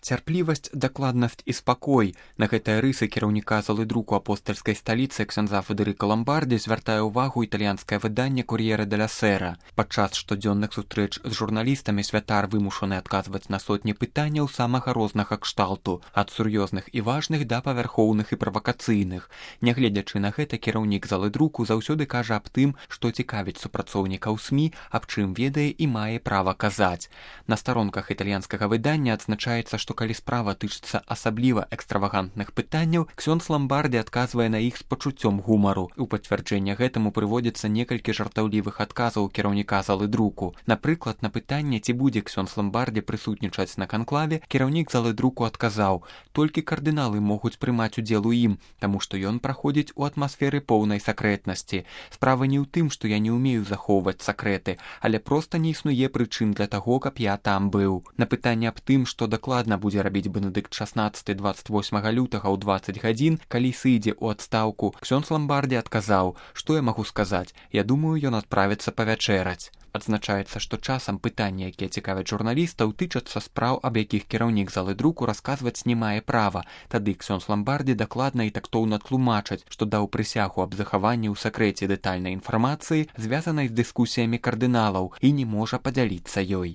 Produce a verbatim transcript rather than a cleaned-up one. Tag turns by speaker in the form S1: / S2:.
S1: Цярплівасць, дакладнасць і спакой. На гэтыя рысы кіраўніка залы друку апостальскай сталіцы ксяндза Федэрыка Ламбардзі звяртае ўвагу італьянскае выданне «Кор'ера деля Сера». Падчас штодзённых сустрэч з журналістамі святар вымушаны адказваць на сотні пытанняў самага рознага кшталту, ад сур'ёзных і важных да павярхоўных і правакацыйных. Нягледзячы на гэта, кіраўнік залы друку заўсёды кажа аб тым, што цікавіць супрацоўнікаў СМІ, аб чым ведае і мае права казаць. На старонках італьянскага выдання адзначаецца, што калі справа тычыцца асабліва экстравагантных пытанняў, ксёндз Ламбардзі адказвае на іх з пачуццём гумару. У пацвярджэнне гэтаму прыводзіцца некалькі жартаўлівых адказаў кіраўніка залы друку. Напрыклад, на пытанне, ці будзе ксёндз Ламбардзі прысутнічаць на канклаве, кіраўнік залы друку адказаў: «Толькі кардыналы могуць прымаць удзел у ім, таму што ён праходзіць у атмасферы поўнай сакрэтнасці. Справа не ў тым, што я не ўмею захоўваць сакрэты, але проста не існуе прычын для таго, каб я там быў». На пытанне аб тым, што дакладна будзе рабіць Бенедыкт шаснаццаты дваццаць восьмага лютага ў дваццаць гадзін, калі сыдзе ў адстаўку, ксёндз Ламбардзі адказаў: «Што я магу сказаць? Я думаю, ён адправіцца павячэраць». Адзначаецца, што часам пытанні, якія цікавяць журналістаў, тычацца спраў, аб якіх кіраўнік залы друку расказваць не мае права. Тады ксёндз Ламбардзі дакладна і тактоўна тлумачаць, што даў прысягу аб захаванні ў сакрэце дэтальнай інфармацыі, звязанай з дыскусіямі кардыналаў, і не можа падзяліцца ёй.